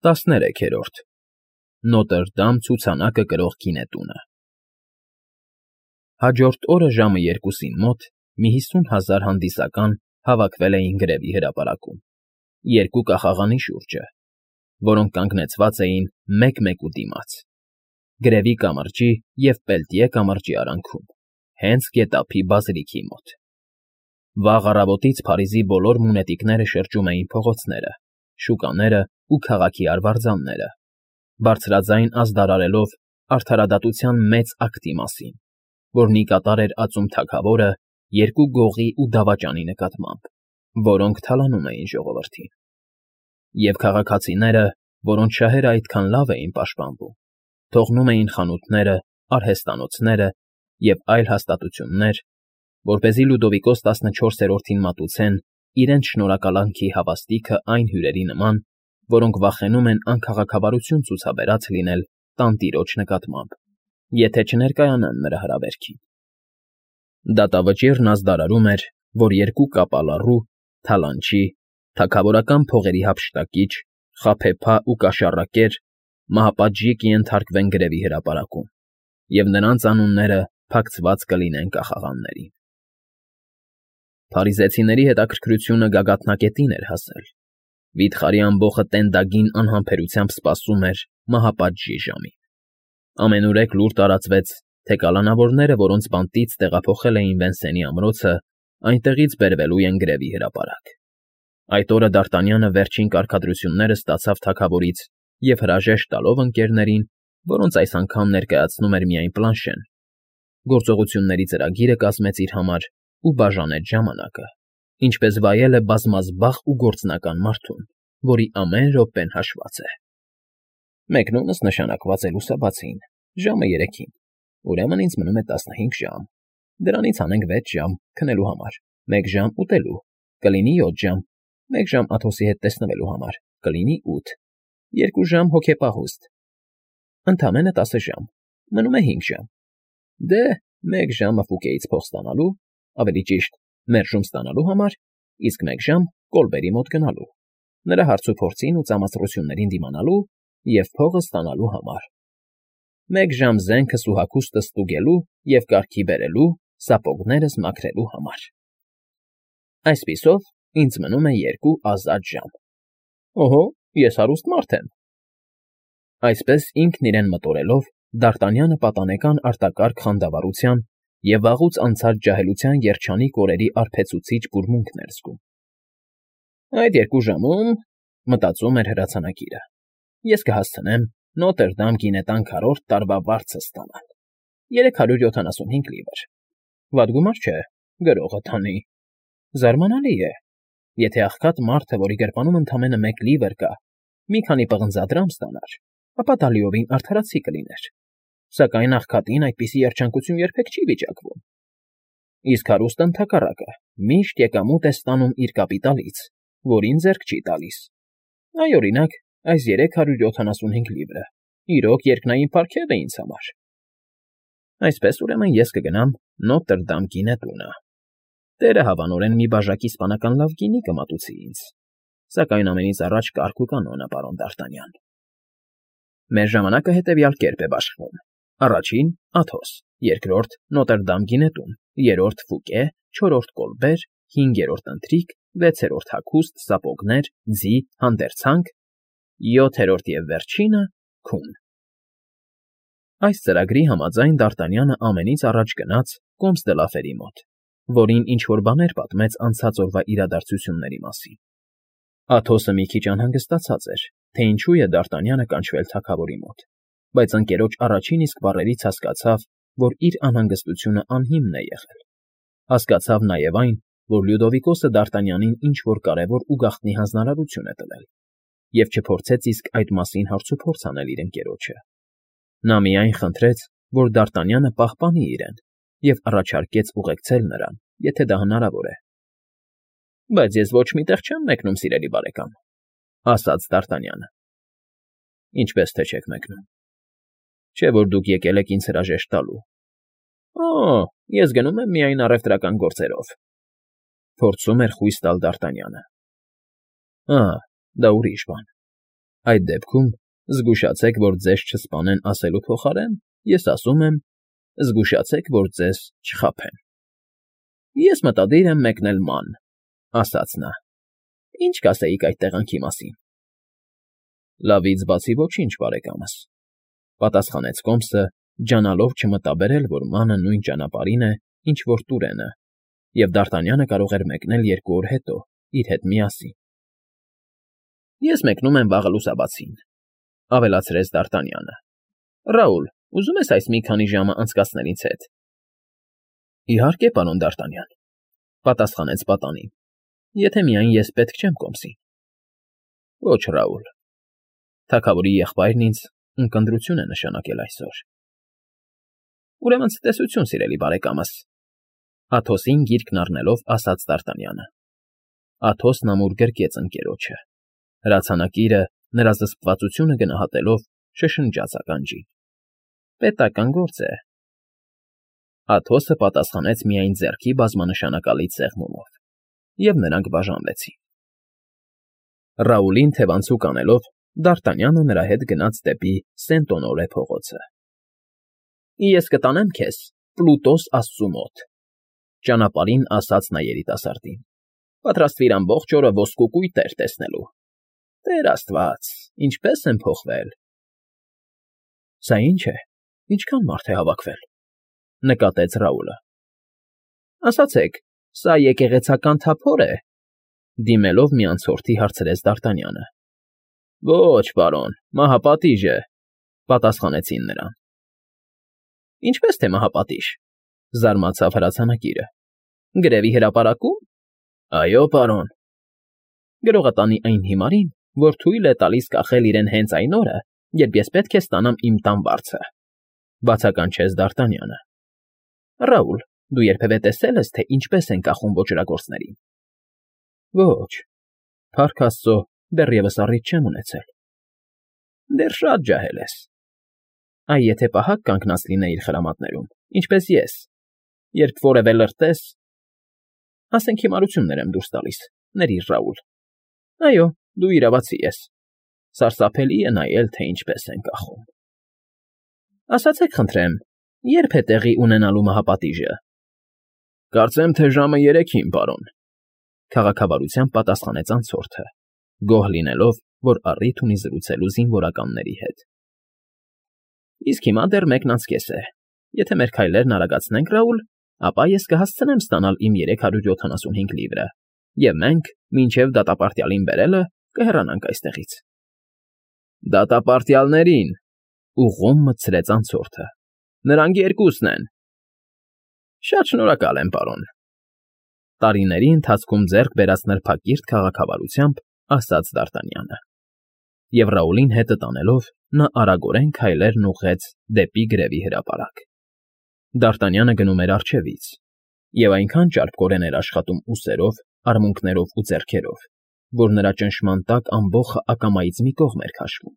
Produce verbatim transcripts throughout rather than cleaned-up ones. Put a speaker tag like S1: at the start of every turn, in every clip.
S1: տասներեքերորդ Նոտրդամ ցուցանակը կրող գինետունը Հաջորդ օրը ժամը երկուսին մոտ մի հիսուն հազար հանդիսական հավաքվել էին գրևի հրապարակում, երկու կախաղանի շուրջը, որոնք կանգնեցված էին մեկ֊մեկու դիմաց, գրևի կամրջի և Պելտիե կամրջի արանքում, հենց գետափի բազրիքի մոտ։ Վաղ առավոտից Փարիզի բոլոր մունետիկները շրջում էին փողոցները, շուկաները ու քաղաքի արվարձանները, բարձրաձայն ազդարարելով արդարադատության մեծ ակտի մասին, որն ի կատար էր ածում թագավորը երկու գողի ու դավաճանի նկատմամբ, որոնք թալանում էին ժողովրդին։ Եվ քաղաքացիները, որոնց շահերը այդքան լավ էին պաշտպանվում, թողնում էին խանութները, արհեստանոցները և այլ հաստատություններ, որպեսզի Լյուդովիկոս տասնչորսերորդին մատուցեն իրենց շնորհակալանքի հավաստիքը այն հյուրերի նման, որոնք վախենում են անքաղաքավարություն ցուցաբերած լինել տանտիրոջ նկատմամբ, եթե չներկայանան նրա հրավերքին։ Դատավճիռն ազդարարում էր, որ երկու կապալառու, թալանչի, թագավորական փողերի հափշտակիչ, խաբեբա ու կաշառակեր մահապատժի կենթարկվեն գրևի հրապարակում, և նրանց անունները փակցված կլինեն կախաղաններին։ Փարիզեցիների հետաքրքրությունը գագաթնակետին էր հասել։ Վիթխարի ամբոխը տենդագին անհամբերությամբ սպասում էր մահապատժի ժամին։ Ամենուրեք լուր տարածվեց, թե կալանավորները, որոնց բանտից տեղափոխել էին Վենսենի ամրոցը, այնտեղից բերվելու են գրևի հրապարակ։ Այդ օրը Դ'Արտանյանը վերջին կարգադրությունները ստացավ թագավորից և հրաժեշտ տալով ընկերներին, որոնց այս անգամ ներկայացնում էր միայն Պլանշեն, գործողությունների ծրագիրը կազմեց իր համար ու բաժանեց ժամանակը, ինչպես վայել է բազմազբաղ ու գործնական մարդուն, որի ամեն րոպեն հաշված է։ Մեկնումս նշանակված է լուսաբացին, ժամը երեքին, ուրեմն ինձ մնում է տասնհինգ ժամ, դրանից հանենք վեց ժամ քնելու համար, մեկ ժամ ուտելու, կլինի յոթ ժամ, մեկ ժամ Աթոսի հետ տեսնվելու համար, կլինի ութ, երկու ժամ հոգեպահուստ, ընդամենը տասը ժամ, մնում է հինգ ժամ, դե, մեկ ժամը Ֆուկեից փող ստանալու, ավելի ճիշտ, մերժում ստանալու համար, իսկ մեկ ժամ Կոլբերի մոտ գնալու, նրա հարցուփորձին ու ծամացռություններին դիմանալու և փողը ստանալու համար, մեկ ժամ զենքս ու հագուստս ստուգելու և կարգի բերելու, սապոգներս մաքրելու համար։ Այսպիսով, ինձ մնում է երկու ազատ ժամ։ Օհո, ես հարուստ մարդ եմ։ Այսպես ինքն իրեն մտորելով, Դ'Արտանյանը պատանեկան արտակարգ խանդավառության և վաղուց անցած ջահելության երջանիկ օրերի արբեցուցիչ բուրմունքն էր զգում։ Այդ երկու ժամում, մտածում էր հրացանակիրը, ես կհասցնեմ Նոտրդամ գինետան քառորդ տարվա վարձը ստանալ, երեք հարյուր յոթանասունհինգ լիվր, վատ գումար չէ, գրողը տանի, զարմանալի է, եթե աղքատ մարդը, որի գրպանում ընդամենը մեկ լիվր կա, մի քանի պղնձադրամ ստանար, ապա դա լիովին արդարացի կլիներ, սակայն աղքատին այդպիսի երջանկություն երբեք չի վիճակվում։ Իսկ հարուստը ընդհակառակը միշտ եկամուտ է ստանում իր կապիտալից, որին ձեռք չի տալիս։ Այ, օրինակ, այս երեք հարյուր յոթանասունհինգ լիվրը, իրոք երկնային պարգև է ինձ համար։ Այսպես, ուրեմն, ես կգնամ Նոտրդամ գինետունը։ Տերը հավանորեն մի բաժակ իսպանական լավ գինի կմատուցի ինձ, սակայն ամենից առաջ կարգ ու կանոնը, պարոն Դ'Արտանյան։ Մեր ժամանակը հետևյալ կերպ է բաշխվում. առաջին՝ Աթոս, երկրորդ՝ Նոտրդամ գինետուն, երրորդ՝ Ֆուկե, չորրորդ՝ Կոլբեր, հինգերորդ՝ ընթրիք, վեցերորդ՝ հագուստ, սապոգներ, ձի, հանդերձանք, յոթերորդ և վերջինը՝ քուն։ Այս ծրագրի համաձայն Դ'Արտանյանը ամենից առաջ գնաց Կոմս դը Լաֆերի մոտ, որին ինչ֊որ բաներ պատմեց անցած օրվա իրադարձությունների մասին։ Աթոսը մի քիչ անհանգստացած էր, թե ինչու է Դ'Արտանյանը կանչվել թագավորի մոտ, բայց ընկերոջ առաջին իսկ բառերից հասկացավ, որ իր անհանգստությունը անհիմն է եղել։ Հասկացավ նաև այն, որ Լյուդովիկոսը Դ'Արտանյանին ինչ֊որ կարևոր ու գաղտնի հանձնարարություն է տվել, և չփորձեց իսկ այդ մասին հարցուփորձ անել իր ընկերոջը։ Նա միայն խնդրեց, որ Դ'Արտանյանը պահպանի իրեն և առաջարկեց ուղեկցել նրան, եթե դա հնարավոր է։ Բայց ես ոչ մի տեղ չեմ մեկնում, սիրելի բարեկամ, ասաց Դ'Արտանյանը։ Ինչպես թե չեք մեկնում։ Չէ՞ որ դուք եկել եք ինձ հրաժեշտ տալու։ Օ՜, ես գնում եմ միայն առևտրական գործերով, փորձում էր խույս տալ Դ'Արտանյանը։ Ա, դա ուրիշ բան։ Այդ դեպքում զգուշացեք, որ ձեզ չսպանեն ասելու փոխարեն, ես ասում եմ. զգուշացեք, որ ձեզ չխաբեն։ Ես մտադիր եմ մեկնել ման, ասաց նա։ Ինչ կասեիք այդ տեղանքի մասին։ Լավից բացի ոչինչ, բարեկամս, պատասխանեց Կոմսը, ջանալով չմտաբերել, որ մանը նույն ճանապարհին է, ինչ որ Տուրենը, և Դարտանյանը կարող էր մեկնել երկու օր հետո, իր հետ միասին։ Ես մեկնում եմ վաղը լուսաբացին, ավելացրեց Դարտանյանը։ Ռաուլ, ուզում ես այս մի քանի ժամը անցկացնել ինձ հետ։ Իհարկե, պարոն Դարտանյան, պատասխանեց պատանին, եթե միայն ես պետք չեմ Կոմսին։ Ոչ, Ռաուլ, թագավորի եղբայրն ինձ ունկնդրություն է նշանակել այսօր։ Ուրեմն ցտեսություն, սիրելի բարեկամս, Աթոսին գիրկն առնելով ասաց Դարտանյանը։ Աթոսն ամուր գրկեց ընկերոջը։ Հրացանակիրը նրա զսպվածությունը գնահատելով շշնջաց ականջին։ Պետական գործ է։ Աթոսը պատասխանեց միայն ձեռքի բազմանշանակալից սեղմումով, և նրանք բաժանվեցին։ Ռաուլին թևանցուկ անելով, Դարտանյանը նրա հետ գնաց դեպի Սենտոնորե փողոցը։ Ես կտանեմ քեզ Պլուտոս աստծու մոտ, ճանապարհին ասաց նա երիտասարդին։ Պատրաստվիր ամբողջ օրը ոսկու կույտեր տեսնելու։ Տեր Աստված, ինչպես են փոխվել։ Սա ինչ է, ինչքան մարդ է հավաքվել, նկատեց Ռաուլը։ Ասացեք, սա եկեղեցական թափոր է, դիմելով մի անցորդի հարցրեց Դարտանյանը։ Ոչ, պարոն, մահապատիժ է, պատասխանեցին նրան։ Ինչպես թե մահապատիժ, զարմացավ հրացանակիրը։ Գրևի հրապարակում։ Այո, պարոն։ Գրողը տանի այն հիմարին, որ թույլ է տալիս կախել իրեն հենց այն օրը, երբ ես պետք է ստանամ իմ տան վարձը, բացականչեց Դարտանյանը։ Ռաուլ, դու երբևէ տեսել ես, թե ինչպես են կախում ոճրագործներին։ Ոչ, փառք Աստծո, դեռևս առիթ չեմ ունեցել։ Դեռ շատ ջահել ես։ Այ եթե պահակ կանգնած լինեիր խրամատներում, ինչպես ես, երբ որևէ լրտես… Ասենք հիմարություններ եմ դուրս տալիս, ներիր Ռաուլ։ Այո, դու իրավացի ես։ Սարսափելի է նայել, թե ինչպես են կախում։ Ասացեք խնդրեմ, ե՞րբ է տեղի ունենալու մահապատիժը։ Կարծեմ, թե ժամը երեքին, պարոն, քաղաքավարությամբ պատասխանեց անցորդը, գոհ լինելով, որ առիթ ունի զրուցելու զինվորականների հետ։ Իսկ հիմա դեռ մեկն անց կես է։ Եթե մեր քայլերն արագացնենք, Ռաուլ, ապա ես կհասցնեմ ստանալ իմ երեք հարյուր յոթանասունհինգ լիվրը, և մենք, մինչև դատապարտյալին բերելը, կհեռանանք այստեղից։ Դատապարտյալներին, ուղղում մտցրեց անցորդը։ Նրանք երկուսն են։ Շատ շնորհակալ եմ, պարոն։ Տարիների ընթացքում ձեռք բերած նրբակիրթ քաղաքավարությամբ ասաց Դարտանյանը։ Եվ Ռաուլին հետը տանելով, նա արագորեն քայլերն ուղղեց դեպի գրևի հրապարակ։ Դարտանյանը գնում էր առջևից, և այնքան ճարպկորեն էր աշխատում ուսերով, արմունկներով ու ձեռքերով, որ նրա ճնշման տակ ամբոխը ակամայից մի կողմ էր քաշվում։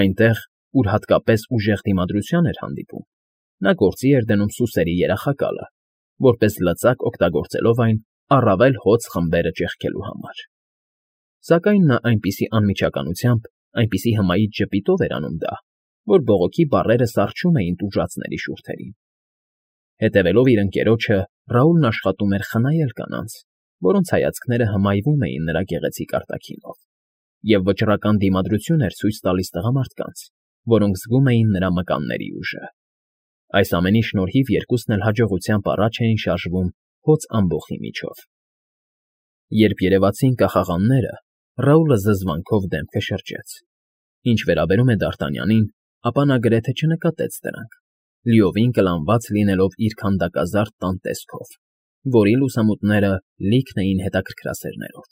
S1: Այնտեղ, ուր հատկապես ուժեղ դիմադրության էր հանդիպում, նա գործի էր դնում սուսերի երախակալը, որպես լծակ օգտագործելով այն առավել հոծ խմբերը ճեղքելու համար։ Սակայն նա այնպիսի անմիջականությամբ, այնպիսի հմայիչ ժպիտով էր անում դա, որ բողոքի բառերը սառչում էին տուժածների շուրթերին։ Հետևելով իր ընկերոջը, Ռաուլն աշխատում էր խնայել կանանց, որոնց հայացքները հմայվում էին նրա գեղեցիկ արտաքինով, և վճռական դիմադրություն էր ցույց տալիս տղամարդկանց, որոնք զգում էին նրա մկանների ուժը։ Այս ամենի շնորհիվ երկուսն էլ հաջողությամբ առաջ էին շարժվում հոծ ամբոխի միջով։ Երբ երևացին կախաղանները, Ռաուլը զզվանքով դեմքը շրջեց։ Ինչ վերաբերում է Դարտանյանին, ապա նա գրեթե չնկատեց դրանք, լիովին կլանված լինելով իր քանդակազարդ տան տեսքով, որի լուսամուտները լիքն էին հետաքրքրասերներով։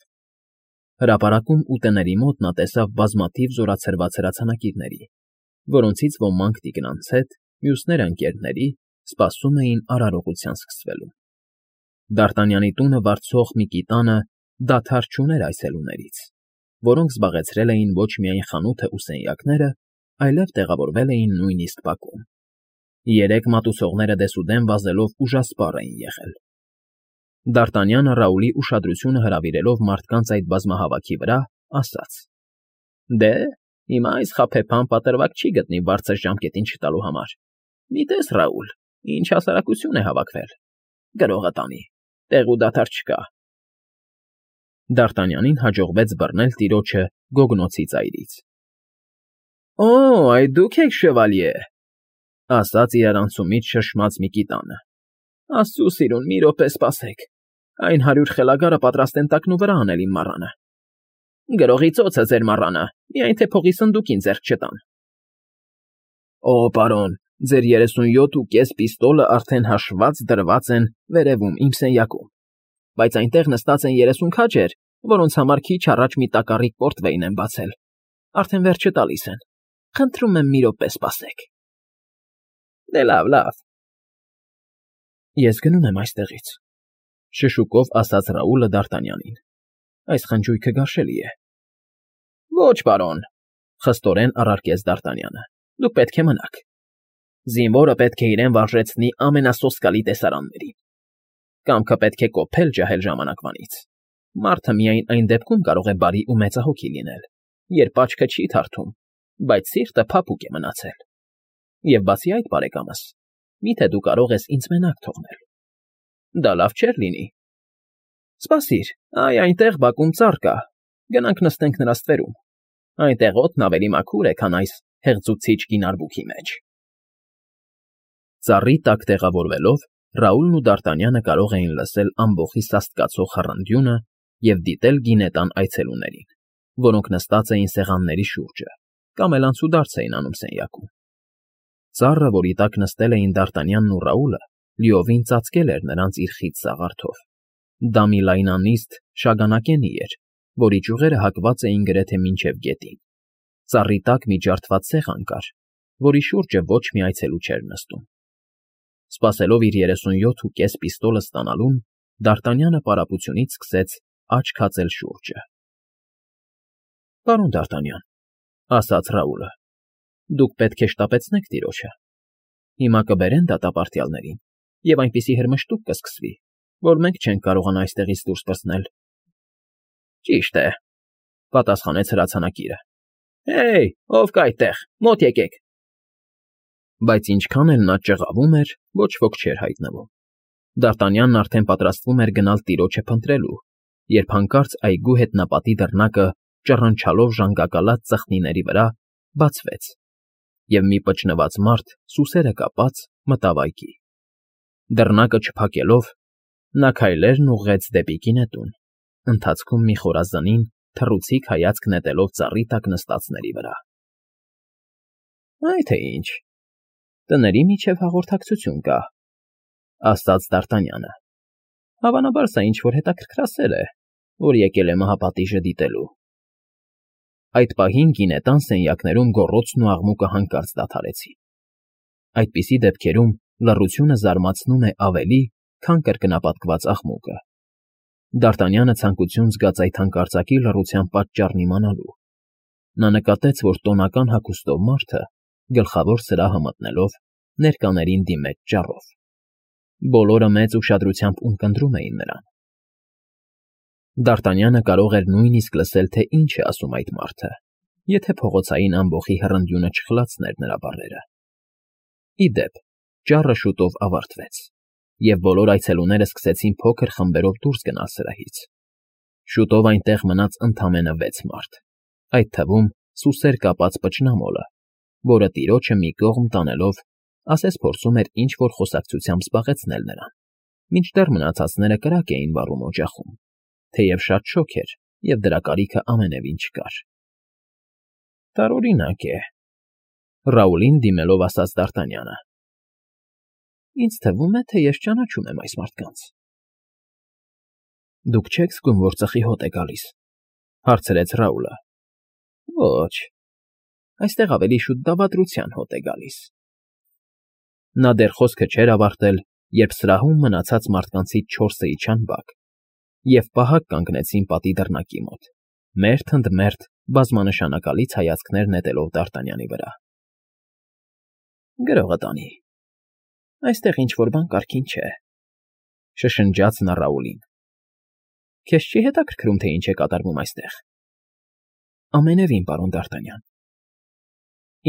S1: Հրապարակում ուտեների մոտ նա տեսավ բազմաթիվ զորացրված հրացանակիրների, որոնցից ոմանք տիկնանց հետ, մյուսները ընկերների, սպասում էին արարողության սկսվելուն։ Դարտանյանի տունը վարձող մի կիտանը դադար չուներ այցելուներից, որոնք զբաղեցրել էին ոչ միայն խանութը ու սենյակները, այլև տեղավորվել էին նույնիսկ բակում։ Երեք մատուցողները դեսուդեն վազելով ուժասպառ էին եղել։ Դարտանյանը Ռաուլի ուշադրությունը հրավիրելով մարդկանց այդ բազմահավաքի վրա, ասաց. Դե, Հիմա այս խաբեբան պատրվակ չի գտնի բարձր ժամկետին չտալու համար։ Մի տես, Ռաուլ, ինչ հասարակություն է հավաքվել։ Գրողը տանի, տեղ ու դադար չկա։ Դ'Արտանյանին հաջողվեց բռնել տիրոջը գոգնոցի ծայրից։ ֊ Օ, այդ դուք եք, շևալյե,֊ ասաց իրարանցումից շշմած մի կիտանը։ Աստծո սիրուն, մի րոպե սպասեք, այն հարյուր խելագարը պատրաստ են տակնու վրա անել իմ մառանը։ Գրողի ծոցը ձեր մառանը, միայն թե փողի սնդուկին ձեռք չտան։ Օ, պարոն, ձեր երեսունյոթ ու կես պիստոլը արդեն հաշված դրված են վերևում իմ սենյակում, բայց այնտեղ նստած են երեսուն քաջեր, որոնց համար քիչ առաջ մի տակառիկ պորտվեյն եմ բացել, արդեն վերջը տալիս են, խնդրում եմ մի րոպե սպասեք։ Դե լավ, լավ։ Ես գնում եմ այստեղից,֊ շշուկով ասաց Ռաուլը Դ'Արտանյանին։ Այս խնջույքը գարշելի է։ Ոչ, պարոն,֊ խստորեն առարկեց Դ'Արտանյանը, դուք պետք է մնաք։ Զինվորը պետք է իրեն վարժեցնի ամենասոսկալի տեսարաններին։ Կամքը պետք է կոփել ջահել ժամանակվանից։ Մարդը միայն այն դեպքում կարող է բարի ու մեծահոգի լինել, երբ աչքը չի թարթում, բայց սիրտը փափուկ է մնացել։ Եվ բացի այդ, բարեկամս, միթե դու կարող ես ինձ մենակ թողնել։ Դա լավ չէր լինի։ Սպասիր, այ այնտեղ բակում ծառ կա, գնանք նստենք նրա ստվերում։ Այնտեղ օդն ավելի մաքուր է, քան այս հեղձուցիչ գին արբուքի մեջ։ Ծառի տակ տեղավորվելով, Ռաուլն ու Դ'Արտանյանը կարող էին լսել ամբոխի սաստկացող խռնդյունը և դիտել գինետան այցելուներին, որոնք նստած էին սեղանների շուրջը կամ էլ անցուդարձ էին անում սենյակում։ Ծառը, որի տակ նստել էին Դ'Արտանյանն ու Ռաուլը, լիովին ծածկել էր նրանց իր խիտ սաղարթով։ Դա մի լայնանիստ շագանակենի էր, որի ճյուղերը հակված էին գրեթե մինչև գետին։ Ծառի տակ մի ջարդված սեղան կար, որի շուրջը ոչ մի այցելու չէր նստում։ Սպասելով իր երեսունյոթ ու կես պիստոլը ստանալուն, Դ'Արտանյանը պարապությունից սկսեց աչք հացել շուրջը։ ֊ Պարոն Դ'Արտանյան,֊ ասաց Ռաուլը,֊ դուք պետք է շտապեցնեք տիրոջը։ Հիմա կբերեն դատապարտյալներին, և այնպիսի հրմշտուկ կսկսվի, որ մենք չենք կարողանա այստեղից դուրս պրծնել։ ֊ Ճիշտ է,֊ պատասխանեց հրացանակիրը։ Հեյ, ով կա այդտեղ, մոտ եկեք։ Բայց ինչքան էլ նա ճղավում էր, ոչ ոք չէր հայտնվում։ Դ'Արտանյանն արդեն պատրաստվում էր գնալ տիրոջը փնտրելու, երբ հանկարծ այգու հետնապատի դռնակը, ճռնչալով ժանգակալած ծխնիների վրա, բացվեց, և մի պճնված մարդ, սուսերը կապած, մտավ այգի։ Դռնակը չփակելով, նա քայլերն ուղղեց դեպի գինետուն, ընթացքում մի խորազնին, թռուցիկ հայացք նետելով ծառի տակ նստածների վրա։ Այ թե ինչ, տների միջև հաղորդակցություն կա,֊ ասաց Դ'Արտանյանը։ Հավանաբար սա ինչ֊որ հետաքրքրասեր է, որ եկել է մահապատիժը դիտելու։ Այդ պահին գինետան սենյակներում գոռոցն ու աղմուկը հանկարծ դադարեցին։ Այդպիսի դեպքերում լռությունը զարմացնում է ավելի, քան կրկնապատկված աղմուկը։ Դ'Արտանյանը ցանկություն զգաց այդ հանկարծակի լռության պատճառն իմանալու։ Նա նկատեց, որ տոնական հագուստով մարդը, գլխավոր սրահը մտնելով, ներկաներին դիմեց ճառով։ Բոլորը մեծ ուշադրությամբ ունկնդրում էին նրան։ Դ'Արտանյանը կարող էր նույնիսկ լսել, թե ինչ է ասում այդ մարդը, եթե փողոցային ամբոխի հռնդյունը չխլացներ նրա բառերը։ Ի դեպ, ճառը շուտով ավարտվեց, և բոլոր այցելուները սկսեցին փոքր խմբերով դուրս գնալ սրահից։ Շուտով այնտեղ մնաց ընդամենը վեց մարդ, այդ թվում սուսեր կապած պճնամոլը, որը տիրոջը մի կողմ տանելով, ասես փորձում էր ինչ֊որ խոսակցությամբ զբաղեցնել նրան, մինչդեռ մնացածները կրակ էին վառում օջախում, թեև շատ շոգ էր և դրա կարիքը ամենևին չկար։ Տարօրինակ է,֊ Ռաուլին դիմելով ասաց Դ'Արտանյանը։ Ինձ թվում է, թե ես ճանաչում եմ այս մարդկանց։ Դուք չեք զգում, որ ծխի հոտ է գալիս,֊ հարցրեց Ռաուլը։ Ոչ, այստեղ ավելի շուտ դավադրության հոտ է գալիս։ Նա դեռ խոսքը չէր ավարտել, երբ սրահում մնացած մարդկանցից չորսը իջան բակ և պահակ կանգնեցին պատի դռնակի մոտ, մերթ ընդ մերթ բազմանշանակալից հայացքներ նետելով Դ'Արտանյանի վրա։ Գրողը տանի, այստեղ ինչ֊որ բան կարգին չէ,֊ շշնջաց նա Ռաուլին։ Քեզ չի հետաքրքրում, թե ինչ է կատարվում այստեղ։ Ամենևին, պարոն Դ'Արտանյան,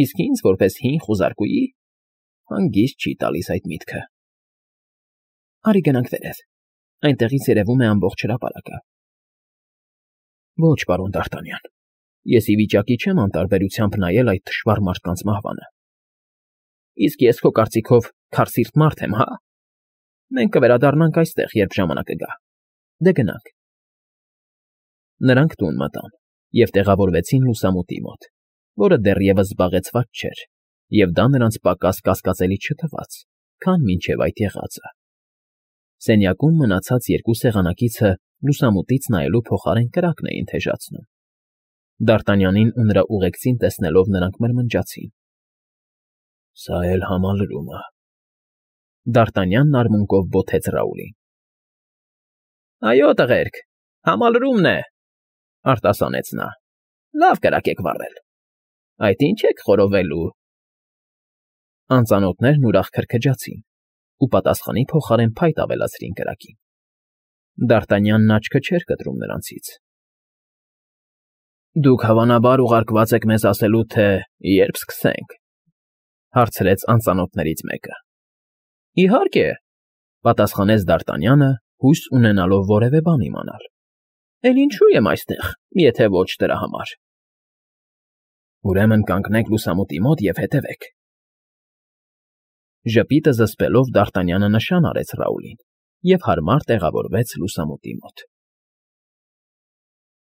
S1: Իսկ ինձ, որպես հին խուզարկուի, հանգիստ չի տալիս այդ միտքը։ Արի գնանք վերև, այնտեղից երևում է ամբողջ հրապարակը։ Ոչ, պարոն Դ'Արտանյան, ես ի վիճակի չեմ անտարբերությամբ նայել այդ թշվառ մարդկանց մահվանը։ Իսկ ես քո կարծիքով քարսիրտ մարդ եմ, հա՞։ Մենք կվերադառնանք այստեղ, երբ ժամանակը գա։ Դե գնանք։ Նրանք տուն մտան և տեղավորվեցին լուսամուտի մոտ, որը դեռևս զբաղեցված չէր, և դա նրանց պակաս կասկածելի չթվաց, քան մինչև այդ եղածը։ Սենյակում մնացած երկու սեղանակիցը լուսամուտից նայելու փոխարեն կրակն էին թեժացնում։ Դ'Արտանյանին ու նրա ուղեկցին տեսնելով նրանք մրմնջացին. Սա էլ համալրում է։ Դ'Արտանյանն արմունկով բոթեց Ռաուլին։ Այո, տղերք, համալրումն է, արտասանեց նա։ Լավ կրակ եք վառել։ Այդ ինչ եք խորովելու։ Անծանոթներն ուրախ քրքջացին ու պատասխանի փոխարեն փայտ ավելացրին կրակին։ Դ'Արտանյանն աչքը չէր կտրում նրանցից։ Դուք հավանաբար ուղարկված եք մեզ ասելու, թե երբ սկսենք, հարցրեց անծանոթներից մեկը։ Իհարկե, պատասխանեց Դ'Արտանյանը, հույս ունենալով որևէ բան իմանալ։ Էլ ինչու եմ այստեղ, եթե ոչ դրա համար։ Ուրեմն կանգնեք լուսամուտի մոտ և հետևեք։ Ժպիտը զսպելով Դ'Արտանյանը նշան արեց Ռաուլին և հարմար տեղավորվեց լուսամուտի մոտ։